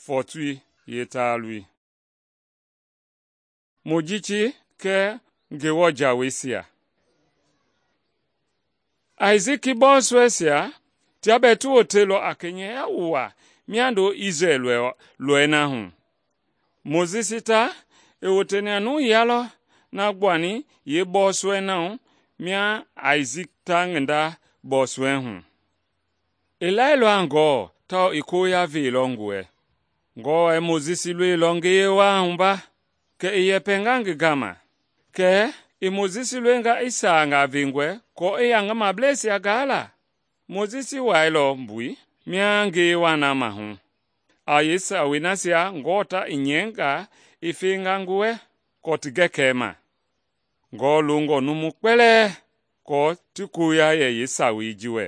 fɔɔtoi yeetaaloi. Mojisi kɛɛ Ngewɔ jaweisia. Aisiki bɔɔsɔɛisia tia bɛɛ ti woteilɔ a kɛnyɛya wuaa miando Isrɛl lɔii na hu. Mojisi ta i woteni a nuuya lɔ na gbuani yeebɔɔsɔɛi na hu mia Aisiki ta ngi nda bɔɔsɔɛi hu. I lailɔ a Ngewɔ tawao i koya veilɔ ngi wɛ. Ngewɔ i Mojisi loilɔ ngiye waa hu ba, kɛ i yɛpɛnga ngi gama, kɛ i Mojisi loinga i saangaa vengɔe aako i ya ngi mableisia gaa la. Mojisi wailɔ mbui mia ngiye waa na mahu a yeesawei nasia Ngewɔ ta i nyɛinga i fenga ngi wɛ aako ti gɛkɛi ma. Ngewɔ longɔ numu kpɛlɛɛ aako ti koya yɛ yeesawei ji wɛ.